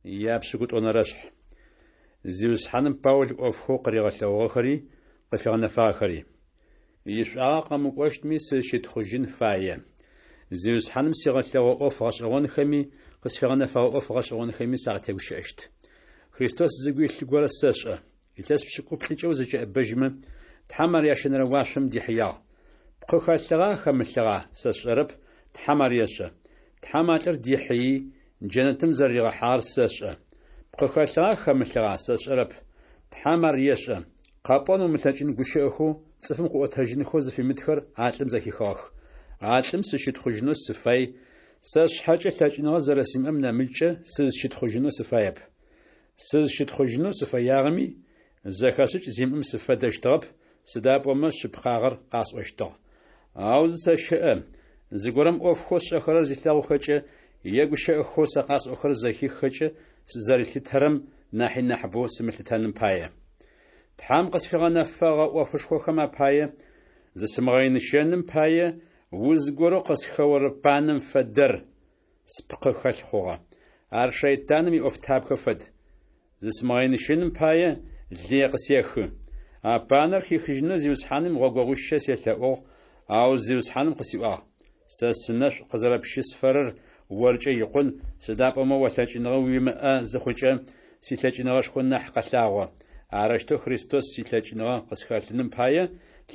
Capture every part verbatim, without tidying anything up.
Япшӏыкӏутӏонэрэшъхь. Зиусхьаным Паул ӏофхэу къыригъэлъэгъугъэхэри къыфигъэнэфагъэхэри. Ишӏуагъэ къэмыкӏощтми сызщытхъужьын фае. Зиусхьаным сигъэлъэгъугъэ ӏоф гъэшӏэгъонхэми къысфигъэнэфэгъэ ӏоф гъэшӏэгъонхэми сакъытегущыӏэщт. Христос зыгу илъ горэ сэшӏэ. Илъэс пшӏыкӏуплӏыкӏэ узэкӏэӏэбэжьмэ, Тхьэм ар ящэнэрэ уашъом дихьыягъ. Пкъы хэлъыгъа хэмылъыгъа, сэ сшӏэрэп, Тхьэм ар ешӏэ. Тхьэм а лӏыр дихьыий, джэнэтым зэрэригъэхьагъэр сэшӏэ. Пкъы хэлъыгъа хэмылъыгъа, сэ сшӏэрэп, Тхьэм ар ешӏэ. Къэпӏон умылъэкӏын гущыӏэхэу цӏыфым къыӏотэжьынхэу зыфимытхэр а лӏым зэхихыгъэх. А лӏым сыщытхъужьынэу сыфай, сэ сшъхьэкӏэ лъэкӏыныгъэ зэрэсимыӏэм нэмыкӏкӏэ сызщытхъужьынэу сыфаеп. Сызщытхъужьынэу сыфэягъэми, зэхэшӏыкӏ зимыӏэм сыфэдэщтыгъэп, сыда пӏомэ шъыпкъагъэр къасӏощтыгъ. Ау зысэщыӏэ, зыгорэм ӏофхэу сшӏэхэрэр зилъэгъухэкӏэ е гущыӏэхэу сэ къасӏохэрэр зэхиххэкӏэ сызэрилъытэрэм нахьи нахьыбэу сымылъытэным пае. Тхьэм къысфигъэнэфэгъэ ӏофышхохэм апае, зысымыгъэиныщэным пае, уз горэу къысхэорэ панэм фэдэр спкъы хэлъ хъугъэ. Ар шэйтаным иӏофтабгэ фэд. Зысымыгъэиныщэным пае, лые къысехы. А панэр хихыжьынэу Зиусхьаным гъогогъуищэ селъэӏугъ, ау Зиусхьаным къысиӏуагъ: Сэ сынэшӏу къызэрэпщысфэрэр оркӏэ икъун, сыда пӏомэ о лъэкӏыныгъэ уимыӏэ зыхъукӏэ, силъэкӏыныгъэшхо нахь къэлъагъо. Арэущтэу Христос илъэкӏыныгъэ къысхэлъыным пае,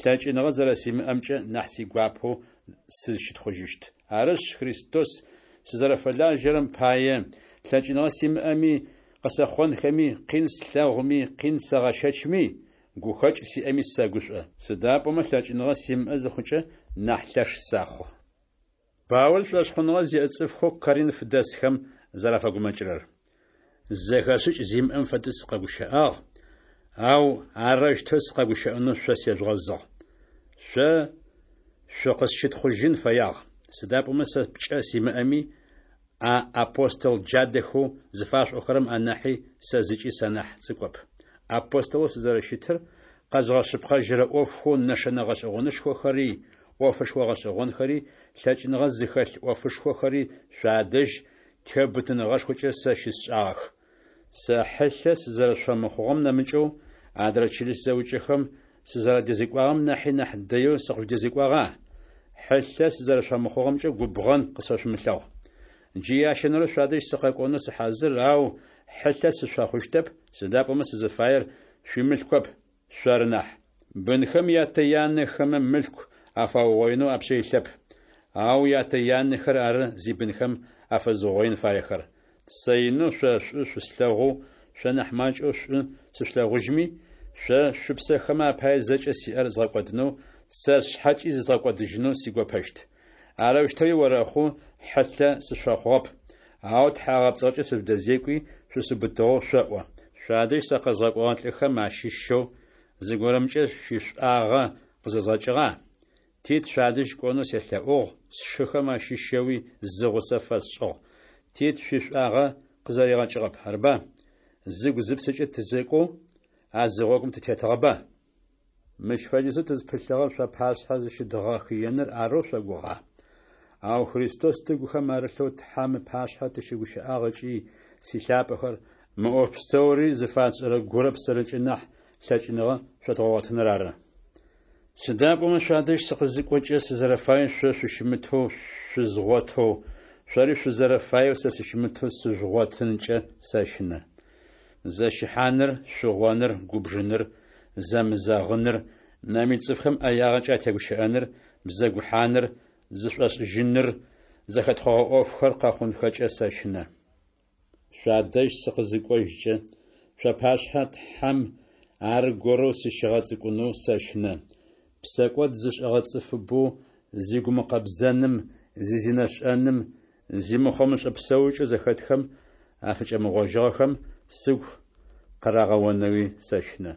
лъэкӏыныгъэ зэрэсимыӏэмкӏэ нахь сигуапэу сызщытхъужьыщт. Арышъ, Христос сызэрэфэлажьэрэм пае, лъэкӏыныгъэ симыӏэми, къысэхъонхэми, къин слъэгъуми, къин сэгъэщэчми, гухэкӏ сиӏэми сэгушӏо. Сыда пӏомэ лъэкӏыныгъэ симыӏэ зыхъукӏэ, нахь лъэш сэхъу. Паул шӏошъхъуныгъэ зиӏэ цӏыфхэу Коринф дэсхэм зэрафэгумэкӏырэр. Зэхэшӏыкӏ зимыӏэм фэдэу сыкъэгущыӏагъ, ау арэущтэу сыкъэгущыӏэнэу шъо сежъугъэзыгъ. Шъо шъукъысщытхъужьын фэягъ, сыда пӏомэ сэ пкӏэ симыӏэми, а апостол джадэхэу зыфашъуӏохэрэм анахьи сэ зыкӏи санахь цӏыкӏоп. Апостолэу сызэрэщытыр къэзгъэшъыпкъэжьырэ ӏофхэу нэшэнэ гъэшӏэгъонышхохэри, ӏофышхо гъэшӏэгъонхэри, лъэкӏыныгъэ зыхэлъ ӏофышхохэри шъуадэжь теубытыныгъэшхокӏэ сэ щысшӏагъэх. Сэ хьылъэ сызэрэшъуфэмыхъугъэм нэмыкӏэу, адрэ чылыс зэӏукӏэхэм сызэрадэзекӏуагъэм нахьи нахь дэеу сыкъыжъудэзекӏуагъа? Хьылъэ сызэрэшъуфэмыхъугъэмкӏэ губгъэн къысфэшъумылъэгъу. Джы ящэнэрэу шъуадэжь сыкъэкӏонэу сыхьазыр, ау хьылъэ сышъуфэхъущтэп, сыда пӏомэ сызыфаер шъуимылъкоп, шъоры нахь. Бынхэм ятэ-янэхэмэ мылъку афаугъоинэу апшъэ илъэп, ау ятэ-янэхэр ары зибынхэм афэзыугъоин фаехэр. Сэ инэу шъо шӏу шъуслъэгъоу, шъо нахь макӏэу шӏу сышъулъэгъужьми, шъо шъупсэхэмэ апае зэкӏэ сиӏэр згъэкӏодынэу, сэ сшъхьэкӏи зызгъэкӏодыжьынэу сигопэщт. Арэущтэуи орэхъу, хьылъэ сышъуфэхъугъэп, ау тхьагъэпцӏыгъэкӏэ сыжъудэзекӏуи шъусыубытыгъэу шъоӏо. Шъуадэжь сэ къэзгъэкӏогъэ лӏыхэм ащыщэу зыгорэмкӏэ шъуишӏуагъэ къызэзгъэкӏыгъа? Тит шъуадэжь кӏонэу селъэӏугъ, сшыхэм ащыщэуи зы гъусэ фэсшӏыгъ. Тит шъуишӏуагъэ къызэригъэкӏыгъэп, арыба? Зыгу-зыпсэкӏэ тызэкӏоу а зы гъогум тытетыгъэба? Мыщ фэдизэу тызпылъыгъэр шъуапашъхьэ зыщыдгъэхыеныр арэу шъогугъа? Ау Христос тыгухэм арылъэу Тхьэм ыпашъхьэ тыщыгущыӏагъ ыкӏи, силъапӏэхэр, мы ӏоф пстэури зыфатшӏэрэр гурэ псэрэкӏэ нахь лъэкӏыныгъэ шъодгъэгъотыныр ары. Сыда пӏомэ шъуадэжь сыкъызыкӏокӏэ сызэрэфаеу шъо шъущымытэу шъузгъотэу, шъори шъузэрэфаеу сэ сыщымытэу сыжъугъотынкӏэ сэщынэ. Зэщыхьаныр, шъугъоныр, губжыныр, зэмызэгъыныр, нэмыкӏ цӏыфхэм ӏэягъэкӏэ атегущыӏэныр, бзэгухьаныр, зышӏошӏыжьыныр, зэхэтхъогъэ ӏофхэр къэхъунхэкӏэ сэщынэ. Шъуадэжь сыкъызыкӏожькӏэ, шъуапашъхьэ Тхьэм аргорэу сыщигъэцӏыкӏунэу сэщынэ. Псэкӏод зышӏэгъэ цӏыфыбэу зигумыкъэбзэным, зизинэшӏэным, зимыхъомышӏэ псэукӏэу зэхэтхэм афыкӏэмыгъожьыгъэхэм сыгу къырагъэонэуи сэщынэ.